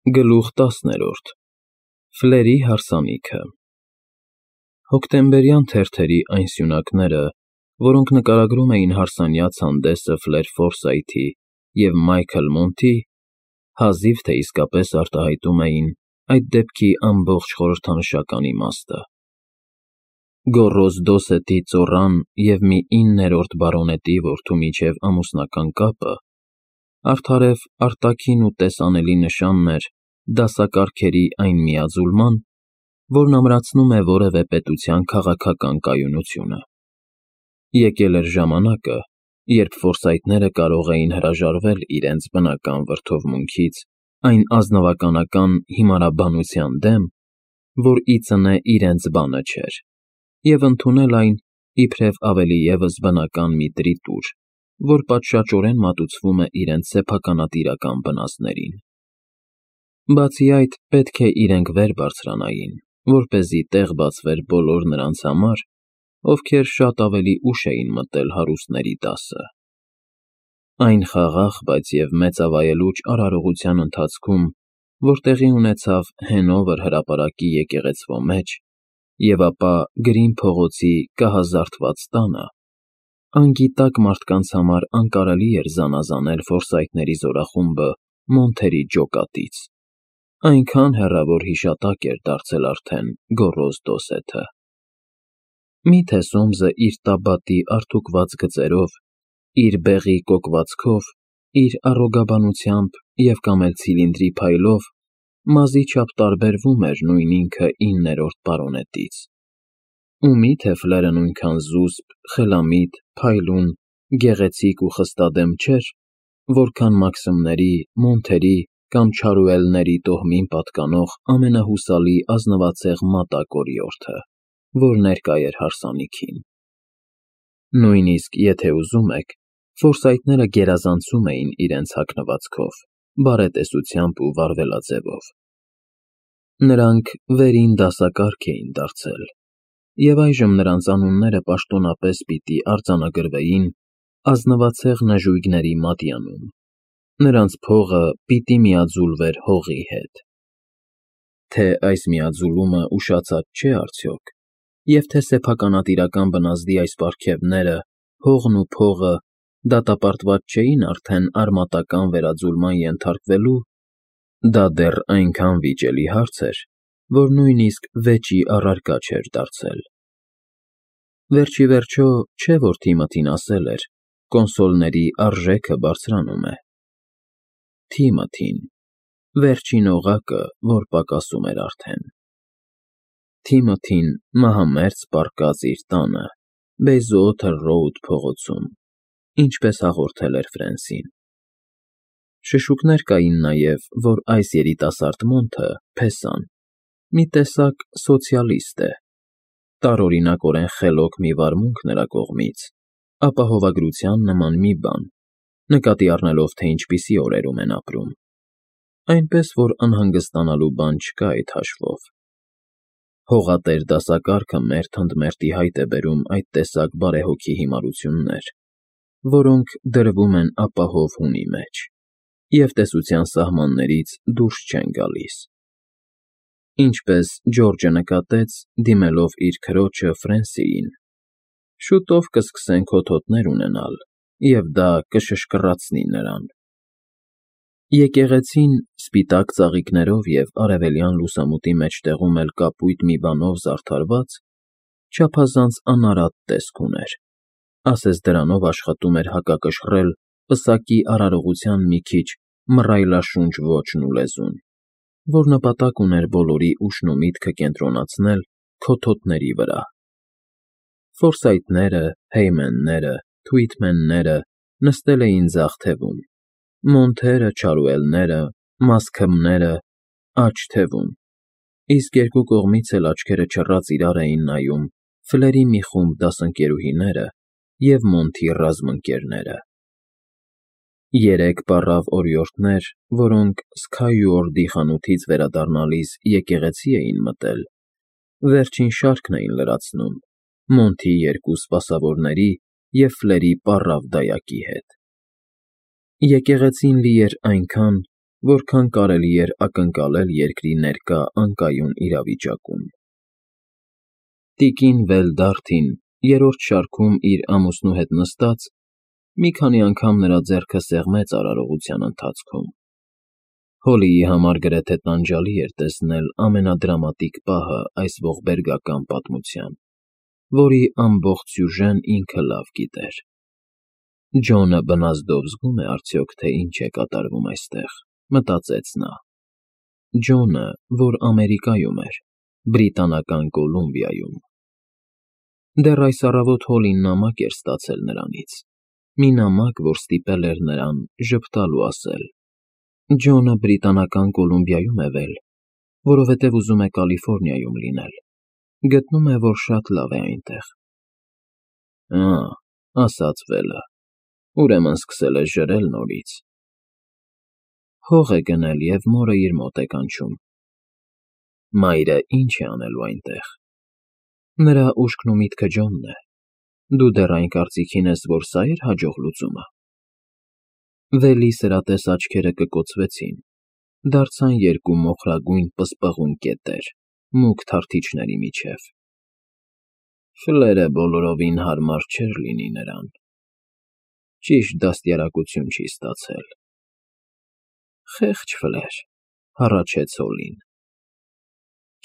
Գլուխ 10 Ֆլերի հարսանիքը Հոկտեմբերյան թերթերի այն սյունակները, որոնք նկարագրում էին հարսանյաց հանդեսը Ֆլեր Ֆորսայթի և Մայքլ Մոնթի, հազիվ թե իսկապես արտահայտում էին այդ դեպքի ամբողջ խորհրդանշական իմաստը։ Գոռոզ Դոսեթի ծոռան և մի 9-րդ բարոնետի որդու միջև ամուսնական կապը արդարև արտաքին ու տեսանելի նշանն էր դասակարգերի այն միաձուլման, որն ամրացնում է որևէ պետության քաղաքական կայունությունը։ Եկել էր ժամանակը, երբ ֆորսայթները կարող էին հրաժարվել իրենց բնական վրդովմունքից այն ազնվականական հիմարաբանության դեմ, որ ի ծնե իրենց բանը չէր, և ընդունել այն իբրև ավելի ևս բնական մի տրիտուր, որ պատշաճորեն մատուցվում է իրենց սեփականատիրական բնազդներին։ Բացի այդ, պետք է իրենք վեր բարձրանային, որպեսզի տեղ բացվեր բոլոր նրանց համար, ովքեր շատ ավելի ուշ էին մտել հարուստների դասը։ Այն խաղաղ, բայց և մեծավայելուչ արարողության ընթացքում, որ տեղի ունեցավ Հենովեր հրապարակի եկեղեցվո մեջ, և ապա Գրին փողոցի կահազարդված տանը, անգիտակ մարդկանց համար անկարելի էր զանազանել ֆորսայթների զորախումբը Մոնթերի ջոկատից, այնքան հեռավոր հիշատակ էր դարձել արդեն գոռոզ Դոսեթը։ Մի՞թե Սոմսը իր տաբատի արդուկված գծերով, իր բեղի կոկվածքով, իր առոգաբանությամբ և կամ էլ ցիլինդրի փայլով մազի չափ տարբերվում էր նույն ինքը 9-րդ բարոնետից։ Ու մի՞թե Ֆլերը նույնքան զուսպ, խելամիտ, փայլուն, գեղեցիկ ու խստադեմ չէր, որքան Մաքսիմների, Մոնթերի կամ Չարուելների տոհմին պատկանող ամենահուսալի ազնվացեղ մատակ օրիորդը, որ ներկա էր հարսանիքին։ Նույնիսկ, եթե ուզում եք, ֆորսայթները գերազանցում էին իրենց հագնվածքով, բարետեսությամբ ու վարվելաձևով։ Նրանք վերին դասակարգ էին դարձել, և այժմ նրանց անունները պաշտոնապես պիտի արձանագրվեին ազնվացեղ նժույգների մատյանում, նրանց փողը պիտի միաձուլվեր հողի հետ։ Թե այս միաձուլումը ուշացած չէ արդյոք, և թե սեփականատիրական բնազդի այս պարգևները, հողն ու փողը դատապարտված չէին արդեն արմատական վերաձուլման ենթարկվելու, դա դեռ այնքան վիճելի հարց էր, որ նույնիսկ վեճի առարկա չէր դարձել։ Վերջիվերջո, չէ՞ որ Թիմոթին ասել էր. «Կոնսոլների արժեքը բարձրանում է»։ Թիմոթին, վերջին օղակը, որ պակասում էր արդեն։ Թիմոթին մահամերձ պառկած իր տանը, Բեյզուոթեր Ռոուդ փողոցում, ինչպես հաղորդել էր Ֆրենսին։ Շշուկներ կային նաև, որ այս երիտասարդ Մոնթը, Փեսան, մի տեսակ սոցիալիստ է, տարօրինակորեն խելոք մի վարմունք նրա կողմից, ապահովագրության նման մի բան, նկատի առնելով, թե ինչպիսի օրերում են ապրում, այնպես որ անհանգստանալու բան չկա այդ հաշվով։ Հողատեր դասակարգը մերթ ընդ մերթի հայտ է բերում այդ տեսակ բարեհոգի հիմարություններ, որոնք դրվում են ապահով հունի մեջ և տեսության սահմաններից դուրս չեն գալիս։ Ինչպես Ջորջը նկատեց, դիմելով իր քրոջը Ֆրենսիին, շուտով կսկսեն քոթոթներ ունենալ, և դա կշշկռացնի նրան։ Եկեղեցին, սպիտակ ծաղիկներով և արևելյան լուսամուտի մեջտեղում էլ կապույտ մի բանով զարդարված, չափազանց անարատ տեսք ուներ, ասես դրանով աշխատում էր հակակշռել պսակի արարողության մի քիչ մռայլաշունչ ոճն ու լեզուն, որ նպատակ ուներ բոլորի ուշն ու միտքը կենտրոնացնել քոթոթների վրա։ Ֆորսայթները, Հեյմենները, Թուիթմենները նստել էին ձախ թևում, Մոնթերը, Չարուելները, Մասքըմները՝ աջ թևում, իսկ երկու կողմից էլ աչքերը չռած իրար էին նայում Ֆլերի մի խումբ դասընկերուհիները և Մոնթի ռազմընկերները։ Երեք պառավ օրիորդներ, որոնք Սքայուորդի խանութից վերադառնալիս եկեղեցի էին մտել, վերջին շարքն էին լրացնում Մոնթի երկու սպասավորների և Ֆլերի պառավ դայակի հետ։ Եկեղեցին լի էր այնքան, որքան կարելի էր ակնկալել երկրի ներկա անկայուն իրավիճակում։ Տիկին Վելդարթին երրորդ շարքում իր ամուսնու հետ նստած մի քանի անգամ նրա ձեռքը սեղմեց արարողության ընթացքում։ Հոլիի համար գրեթե տանջալի էր տեսնել ամենադրամատիկ պահը այս ողբերգական պատմության, որի ամբողջ սյուժեն ինքը լավ գիտեր։ Ջոնը բնազդով զգում է արդյոք, թե ինչ է կատարվում այստեղ, մտածեց նա։ Ջոնը, որ Ամերիկայում էր, Բրիտանական Կոլումբիայում։ Դեռ այս առավոտ Հոլին նամակ էր ստացել նրանից, մի նամակ, որ ստիպել էր նրան ժպտալ ու ասել. Ջոնը Բրիտանական Կոլումբիայում է վել, որովհետև ուզում է Կալիֆոռնիայում լինել, գտնում է, որ շատ լավ է այնտեղ։ Ասաց Վելը, ուրեմն սկսել է ժրել նորից։ Հող է գնել և մորը իր մոտ է կանչում։ Մայրը ինչ է անելու այնտեղ։ Նրա ուշքն ու միտքը Ջոնն է։ Դու դեռ այն կարծիքին ես, որ սա էր հաջող լուծումը։ Վելի սրատես աչքերը կկոցվեցին, դարձան երկու մոխրագույն պսպղուն կետեր, մուգ թարթիչների միջև։ Ֆլերը բոլորովին հարմար չէր լինի նրան։ Ճիշտ դաստիարակություն չի ստացել։ Խեղճ Ֆլեր, հառաչեց Հոլին։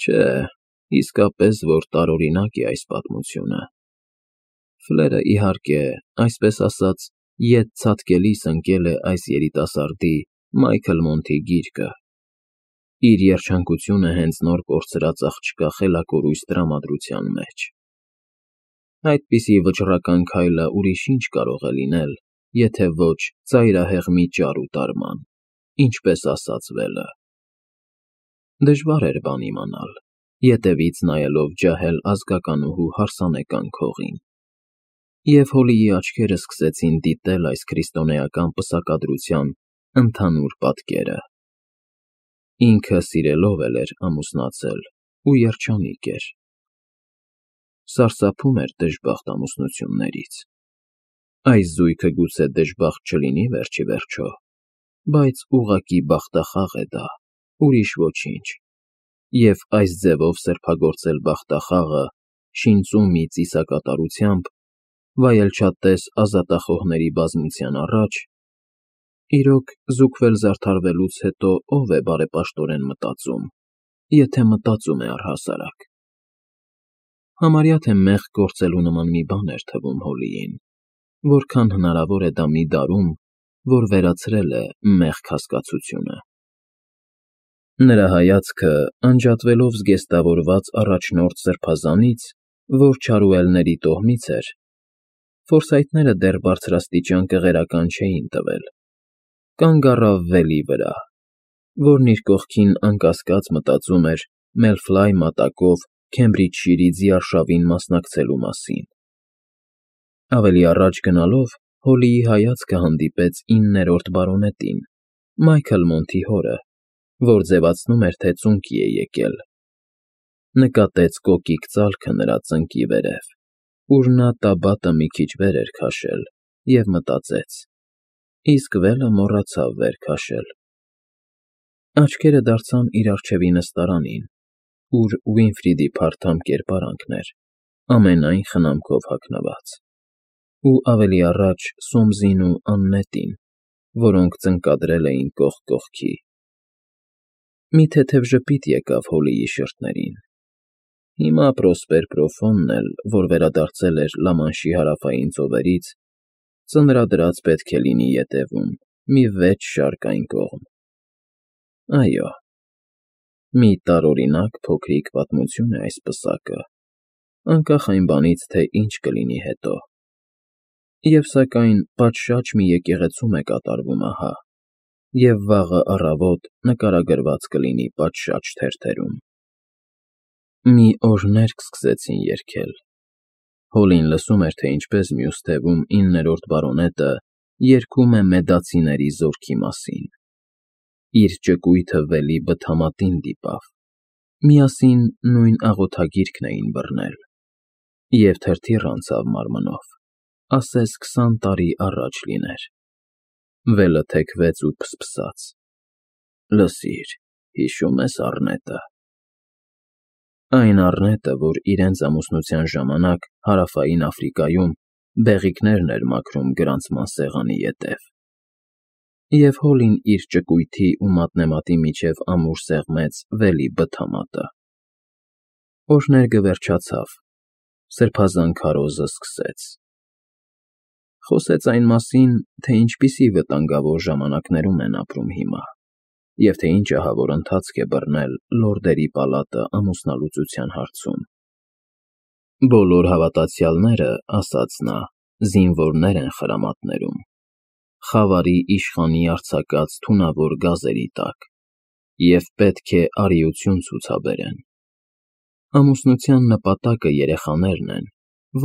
Չէ, իսկապես որ տարօրինակ է այս պատմությունը։ Ֆլերը, իհարկե, այսպես ասած, ետ ցատկելիս ընկել է այս երիտասարդի Մայքլ Մոնթի գիրկը։ Իր երջանկությունը հենց նոր կորցրած աղջկա խելակորույս տրամադրության մեջ։ Այդպիսի վճռական քայլը ուրիշ ինչ կարող է լինել, եթե ոչ ծայրահեղ մի ճար ու տարման, ինչպես ասաց Վելը։ Դժվար էր բան իմանալ, ետևից նայելով ջահել ազգականուհու հարսանեկան քողին։ Եվ Հոլիի աչքերը սկսեցին դիտել այս քրիստոնեական պսակադրության ընդհանուր պատկերը։ Ինքը սիրելով էլ էր ամուսնացել ու երջանիկ էր։ Սարսափում էր դժբախտ ամուսնություններից։ Այս զույգը գուցե դժբախտ չլինի վերջիվերջո, բայց ուղղակի բախտախաղ է դա, ուրիշ ոչինչ, և այս ձևով սրբագործել բախտախաղը շինծու մի ծիսակատարությամբ, վայելչատես ազատախոհների բազմության առաջ, իրոք զուգվել զարդարվելուց հետո ով է բարեպաշտորեն մտածում, եթե մտածում է առհասարակ։ Համարյա թե մեղք գործելու նման մի բան էր թվում Հոլիին, որքան հնարավոր է դա մի դարում, որ վերացրել է մեղք հասկացությունը։ Նրա հայացքը, անջատվելով զգեստավորված առաջնորդ սրբազանից, որ չարուելների տոհմից էր, ֆորսայթները դեռ բարձրաստիճան կղերական չէին տվել, կանգ առավ Վելի վրա, որն իր կողքին անկասկած մտածում էր Մելֆլայ մատակով Քեմբրիջշիրի ձիարշավին մասնակցելու մասին։ Ավելի առաջ գնալով Հոլիի հայացքը հանդիպեց 9-րդ բարոնետին, Մայքլ Մոնթի հորը, որ ձևացնում էր, թե ծունկի է եկել։ Նկատեց կոկիկ ծալքը նրա ծնկի վերև, ուր նա տաբատը մի քիչ վեր էր քաշել, և մտածեց. իսկ Վելը մոռացավ վեր քաշել։ Աչքերը դարձան իր առջևի նստարանին, ուր Ուինֆրիդի փարթամ կերպարանքն էր, ամենայն խնամքով հագնված, ու ավելի առաջ Սոմզին ու Աննետին, որոնք ծնկադրել էին կողք կողքի։ Մի թեթև ժպիտ եկավ Հոլիի շրթներին։ Հիմա Պրոսպեր Պրոֆոնն էլ, որ վերադարձել էր Լամանշի հարավային ծովերից, ծնրադրած պետք է լինի ետևում, մի 6 շարք այն կողմ։ Այո, մի տարօրինակ փոքրիկ պատմություն է այս պսակը, անկախ այն բանից, թե ինչ կլինի հետո։ Եվ սակայն պատշաճ մի եկեղեցում է կատարվում ահա, և վաղը առավոտ նկարագրված կլինի պատշաճ թերթերում։ Մի օրհներ կսկսեցին երգել։ Հոլին լսում էր, թե ինչպես մյուս թևում 9-րդ բարոնետը երգում է մեդացիների զորքի մասին։ Իր ճկույթը Վելի բթամատին դիպավ։ Միասին նույն աղոթագիրքն էին բռնել։ Եվ թրթիռ անցավ մարմնով, ասես 20 տարի առաջ լիներ։ Վելը թեքվեց ու փսփսաց։ Լսիր, հիշում ես առնետը։ Այն առնետը, որ իրենց ամուսնության ժամանակ Հարավային Աֆրիկայում բեղիկներն էր մաքրում գրանցման սեղանի ետև։ Եվ Հոլին իր ճկույթի ու մատնեմատի միջև ամուր սեղմեց վելի բթամատը։ Օրհներգը վերջացավ, սրբազան քարոզը սկսեց։ Խոսեց այն մասին, թե ինչպիսի վտանգավոր ժամանակներում են ապրում հիմա, և թե ինչ ահավոր ընթացք է բռնել լորդերի պալատը ամուսնալուծության հարցում։ Բոլոր հավատացյալները, ասաց նա, զինվորներ են խրամատներում, խավարի իշխանի արձակած թունավոր գազերի տակ, և պետք է արիություն ցուցաբերեն։ Ամուսնության նպատակը երեխաներն են,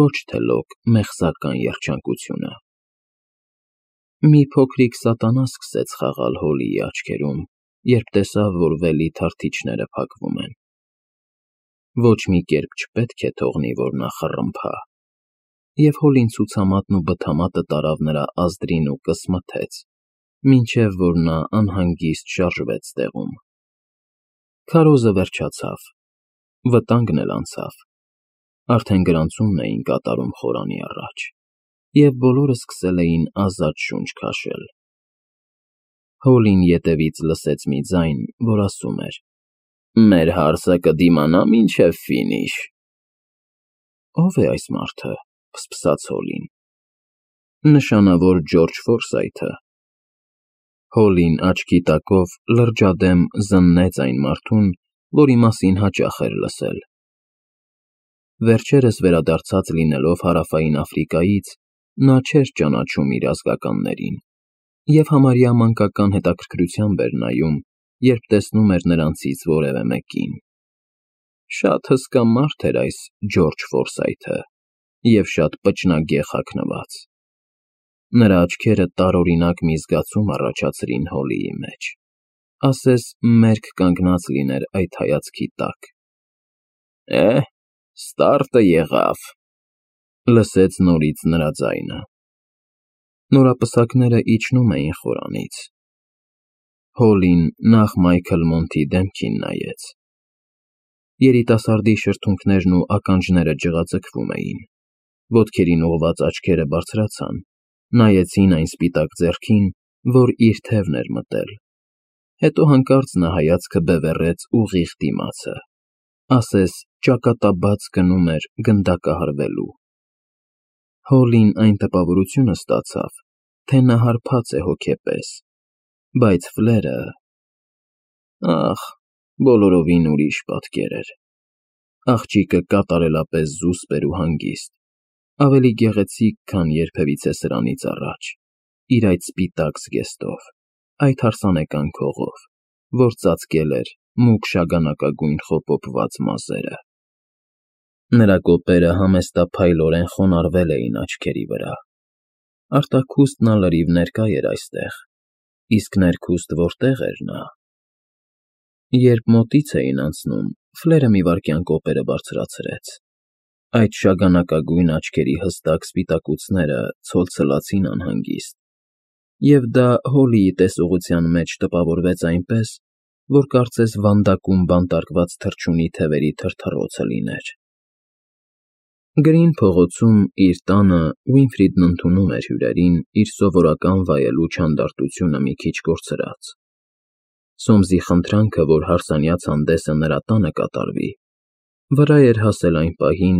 ոչ թե լոկ մեղսական երջանկությունը։ Մի փոքրիկ սատանա սկսեց խաղալ Հոլիի աչքերում, երբ տեսավ, որ վելի թարթիչները փակվում են։ Ոչ մի կերպ չպետք է թողնի, որ նա խռմփա, և Հոլին ցուցամատն ու բթամատը տարավ նրա ազդրին ու կսմթեց, մինչև որ նա անհանգիստ շարժվեց տեղում։ Քարոզը վերջացավ, վտանգն էլ անցավ, արդեն գրանցումն էին կատարում խորանի առաջ, և բոլորը սկսել էին ազատ շունչ քաշել։ Հոլին ետևից լսեց մի ձայն, որ ասում էր. «Մեր հարսը կդիմանա մինչև ֆինիշ»։ Ո՞վ է այս մարդը, ֆսֆսաց Հոլին։ Նշանավոր Ջորջ Ֆորսայթը։ Հոլին աչքի տակով լրջադեմ զննեց այն մարդուն, որի մասին հաճախ էր լսել։ Վերջերս վերադարձած լինելով Հարավային Աֆրիկայից, նա չէր ճանաչում իր ազգականներին, և համարյա մանկական հետաքրքրությամբ էր նայում, երբ տեսնում էր նրանցից որևէ մեկին։ Շատ հսկա մարդ էր այս Ջորջ Ֆորսայթը, և շատ պճնագեղ հագնված։ Նրա աչքերը տարօրինակ մի զգացում առաջացրին Հոլիի մեջ, ասես մերկ կանգնած լիներ այդ հայացքի տակ։ Ստարտը եղավ, լսեց նորից նրա ձայնը։ Նորապսակները իջնում էին խորանից։ Հոլին նախ Մայքլ Մոնթի դեմքին նայեց։ Երիտասարդի շրթունքներն ու ականջները ջղաձգվում էին, ոտքերին ուղղված աչքերը բարձրացան, նայեցին այն սպիտակ ձեռքին, որ իր թևն էր մտել, հետո հանկարծ նա հայացքը բևեռեց ուղիղ դիմացը, ասես ճակատաբաց գնում էր գնդակահարվելու։ Հոլին այն տպավորությունը ստացավ, թե նա հարբած է հոգեպես, բայց Ֆլերը… Ահ, բոլորովին ուրիշ պատկեր էր։ Աղջիկը կատարելապես զուսպ էր ու հանգիստ, ավելի գեղեցիկ, քան երբևիցե սրանից առաջ, իր այդ սպիտակ զգեստով, այդ հարսանեկան քողով, որ ծածկել էր մուգ շագանակագույն խոպոպված մազերը։ Նրա կոպերը համեստափայլորեն խոնարհվել էին աչքերի վրա։ Արտաքուստն անլրիվ ներկա էր այստեղ, իսկ ներքուստ որտե՞ղ էր նա։ Երբ մոտից էին անցնում, Ֆլերը մի վայրկյան կոպերը բարձրացրեց։ Այդ շագանակագույն աչքերի հստակ սպիտակուցները ցոլցլացին անհանգիստ, և դա Հոլիի տեսողության մեջ տպավորվեց այնպես, որ կարծես վանդակում բանտարկված թռչունի թևերի թրթռոցը լիներ։ Գրին փողոցում իր տանը Ուինֆրիդն ընդունում էր հյուրերին իր սովորական վայելուչ հանդարտությունը մի քիչ կորցրած։ Սոմսի խնդրանքը, որ հարսանյաց հանդեսը նրա տանը կատարվի, վրա էր հասել այն պահին,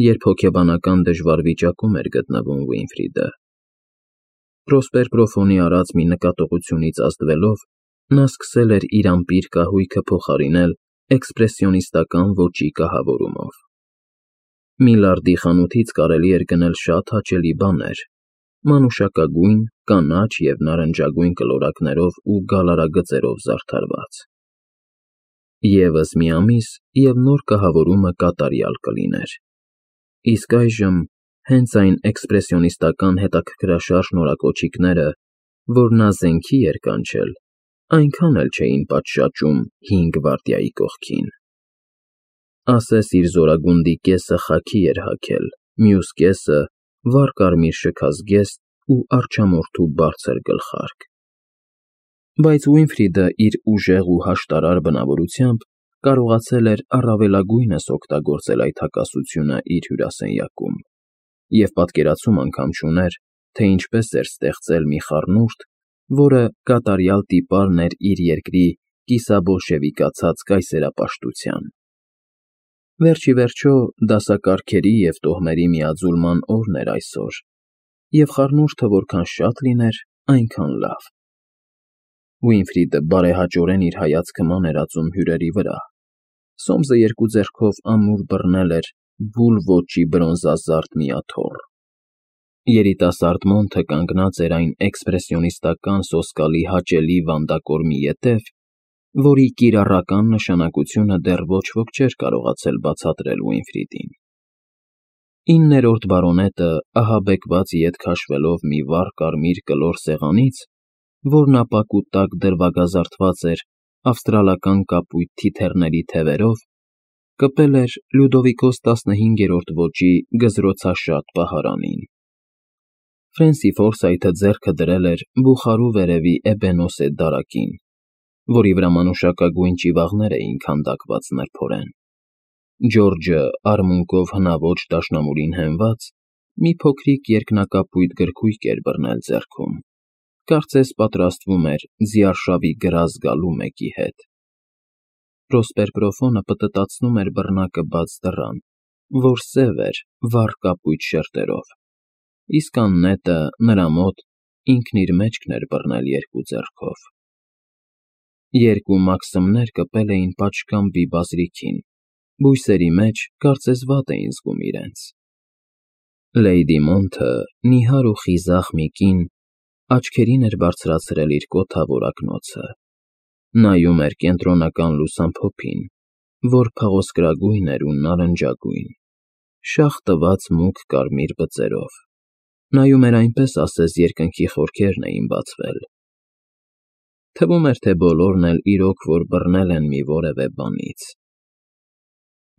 երբ հոգեբանական դժվար վիճակում էր գտնվում Ուինֆրիդը։ Պրոսպեր Պրոֆոնի արած մի նկատողությունից ազդվելով, նա սկսել էր իր ամպիր կահույքը փոխարինել էքսպրեսիոնիստական ոճի կահավորումով։ Միլարդի խանութից կարելի էր գնել շատ հաճելի բաներ՝ մանուշակագույն, կանաչ և նարնջագույն կլորակներով ու գալարագծերով զարդարված։ Եվս մի ամիս, և նոր կահավորումը կատարյալ կլիներ։ Իսկ այժմ հենց այն էքսպրեսիոնիստական հետաքրքրաշարժ նորակոչիկները, որ նա զենքի էր կանչել, այնքան էլ չէին պատշաճում 5 գվարդիայի կողքին։ Ասես իր զորագունդի կեսը խաքի էր հագել, մյուս կեսը՝ վառ կարմիր շքազգեստ ու արջամորթու բարձր գլխարկ։ Բայց Ուինֆրիդը իր ուժեղ ու հաշտարար բնավորությամբ կարողացել էր առավելագույնս օգտագործել այդ հակասությունը իր հյուրասենյակում և պատկերացում անգամ չուներ, թե ինչպես էր ստեղծել մի խառնուրդ, որը կատարյալ տիպարն էր իր երկրի կիսաբոլշևիկացած կայսերապաշտության։ Վերջ ի վերջո, դասակարգերի և տոհմերի միաձուլման օրն էր այսօր, և խառնուրդը որքան շատ լիներ, այնքան լավ։ Ուինֆրիդը բարեհաճորեն իր հայացքը մաներածում հյուրերի վրա։ Սոմսը երկու ձեռքով ամուր բռնել էր բուլ ոճի բրոնզազարդ մի աթոռ։ Երիտասարդ Մոնթը կանգնած էր այն էքսպրեսիոնիստական սոսկալի հաճելի վանդակորմի ետև, որի կիրառական նշանակությունը դեռ ոչ ոք չէր կարողացել բացատրել Ուինֆրիդին։ 9-րդ բարոնետը ահաբեկված ետ քաշվելով մի վառ կարմիր կլոր սեղանից, որն ապակու տակ դրվագազարդված էր ավստրալական կապույտ թիթեռների թևերով, կպել էր Լյուդովիկոս 15-րդ ոճի գզրոցաշատ պահարանին։ Ֆրենսի Ֆորսայթը ձեռքը դրել էր բուխարու վերևի էբենոսե դարակին, որի վրա մանուշակագույն ճիվաղներ էին քանդակված նրբորեն։ Ջորջը արմունկով հնաոճ դաշնամուրին հենված, մի փոքրիկ երկնակապույտ գրքույկ էր բռնել ձեռքում, կարծես պատրաստվում էր ձիարշավի գրազ գալու մեկի հետ։ Պրոսպեր պտտացնում էր բռնակը բաց դռան, որ սև էր վառ կապույտ շերտերով, իսկ աննետը նրա մոտ ինքն իր մեջքն էր բռնել երկու ձեռքով։ Երկու մաքսիմներ կպել էին պատշգամբի բազրիքին, բույսերի մեջ կարծես վատ էին զգում իրենց։ Լեյդի Մոնթը, նիհար ու խիզախ մի կին, աչքերին էր բարձրացրել իր կոթավոր ակնոցը, նայում էր կենտրոնական լուսամփոփին, որ փղոսկրագույն էր ու նարնջագույն, շաղ տված մուգ կարմիր բծերով, նայում էր այնպես, ասես երկնքի խորքերն էին բացվել։ Թվում էր, թե բոլորն էլ իրոք որ բռնել են մի որևէ բանից։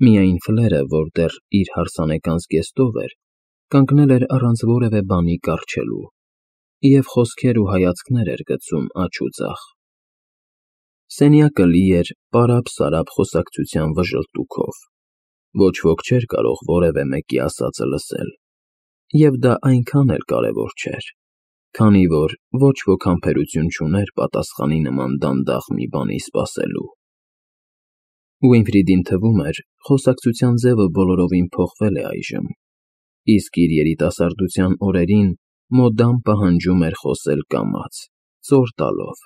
Միայն Ֆլերը, որ դեռ իր հարսանեկան զգեստով էր, կանգնել էր առանց որևէ բանի կառչելու և խոսքեր ու հայացքներ էր գցում աջ ու ձախ։ Սենյակը լի էր պարապ-սարապ խոսակցության վժլտուքով, ոչ ոք չէր կարող որևէ մեկի ասածը լսել, և դա այնքան էլ կարևոր չէր, քանի որ ոչ ոք համբերություն չուներ պատասխանի նման դանդաղ մի բանի սպասելու։ Ուինֆրիդին թվում էր, խոսակցության ձևը բոլորովին փոխվել է այժմ, իսկ իր երիտասարդության օրերին մոդան պահանջում էր խոսել կամաց, ծոր տալով։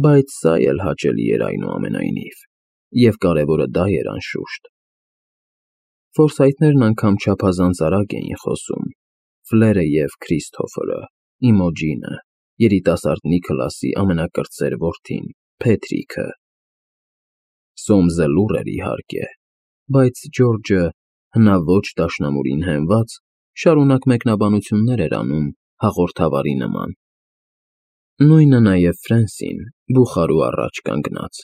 Բայց սա էլ հաճելի էր այնուամենայնիվ, և կարևորը դա էր անշուշտ։ Ֆորսայթներն անգամ չափազանց արագ էին խոսում, Ֆլերը և Քրիստոֆերը, Իմոջինը, երիտասարդ Նիքլասի ամենակրտսեր որդին, Փեթրիքը։ Սոմսը լուռ էր, իհարկե, բայց Ջորջը, հնաոճ դաշնամուրին հենված, շարունակ մեկնաբանություններ էր անում հաղորդավարի նման։ Նույնը նաև Ֆրենսին, բուխարու առաջ կանգնած։